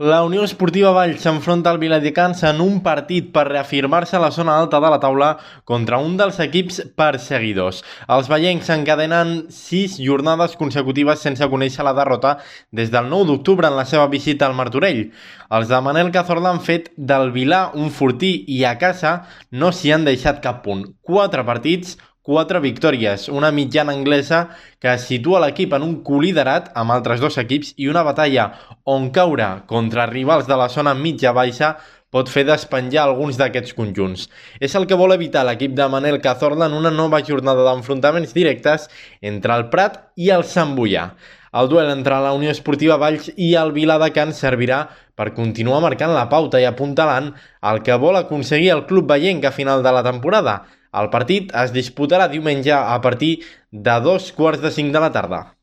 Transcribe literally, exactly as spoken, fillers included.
La Unió Esportiva Valls s'enfronta al Viladecans en un partit per reafirmar-se a la zona alta de la taula contra un dels equips perseguidors. Els vallencs encadenen sis jornades consecutives sense conèixer la derrota des del nou d'octubre en la seva visita al Martorell. Els de Manel Cazorla han fet del Vilà un fortí i a casa no s'hi han deixat cap punt. Quatre partits, quatre victòries, una mitjana anglesa que situa l'equip en un coliderat amb altres dos equips i una batalla on caure contra rivals de la zona mitja-baixa pot fer despenjar alguns d'aquests conjunts. És el que vol evitar l'equip de Manel Cazorla en una nova jornada d'enfrontaments directes entre el Prat i el Sant Boià. El duel entre la Unió Esportiva Valls i el Viladecans servirà per continuar marcant la pauta i apuntalant el que vol aconseguir el club vallenc a final de la temporada. El partit es disputarà diumenge a partir de dos quarts de cinc de la tarda.